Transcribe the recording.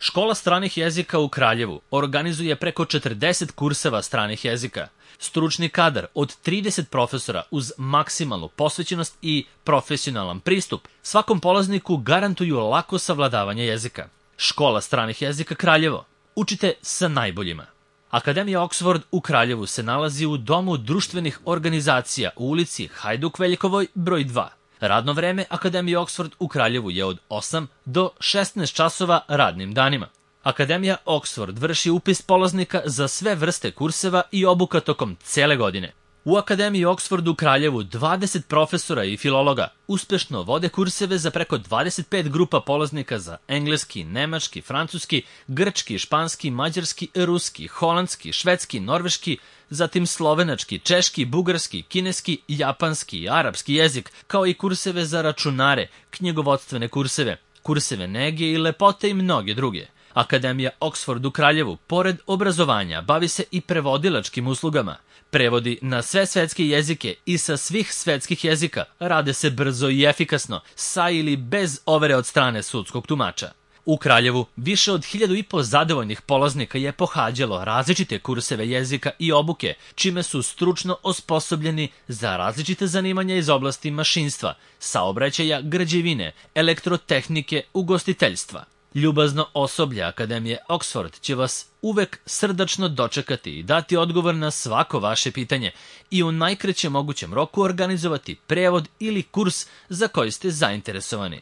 Škola stranih jezika u Kraljevu organizuje preko 40 kurseva stranih jezika. Stručni kadar od 30 profesora uz maksimalnu posvećenost i profesionalan pristup svakom polazniku garantuju lako savladavanje jezika. Škola stranih jezika Kraljevo. Učite sa najboljima. Akademija Oxford u Kraljevu se nalazi u Domu društvenih organizacija u ulici Hajduk Veljkovoj broj 2. Radno vreme Akademije Oxford u Kraljevu je od 8 do 16 časova radnim danima. Akademija Oxford vrši upis polaznika za sve vrste kurseva i obuka tokom cele godine. U Akademiji Oxford u Kraljevu 20 profesora i filologa uspešno vode kurseve za preko 25 grupa polaznika za engleski, nemački, francuski, grčki, španski, mađarski, ruski, holandski, švedski, norveški, zatim slovenački, češki, bugarski, kineski, japanski i arapski jezik, kao i kurseve za računare, knjigovodstvene kurseve, kurseve nege i lepote i mnoge druge. Akademija Oxford u Kraljevu, pored obrazovanja, bavi se i prevodilačkim uslugama. Prevodi na sve svetske jezike i sa svih svetskih jezika rade se brzo i efikasno, sa ili bez overe od strane sudskog tumača. U Kraljevu više od 1500 zadovoljnih polaznika je pohađalo različite kurseve jezika i obuke, čime su stručno osposobljeni za različite zanimanja iz oblasti mašinstva, saobraćaja, građevine, elektrotehnike, ugostiteljstva. Ljubazno osoblje Akademije Oxford će vas uvek srdačno dočekati i dati odgovor na svako vaše pitanje i u najkraćem mogućem roku organizovati prevod ili kurs za koji ste zainteresovani.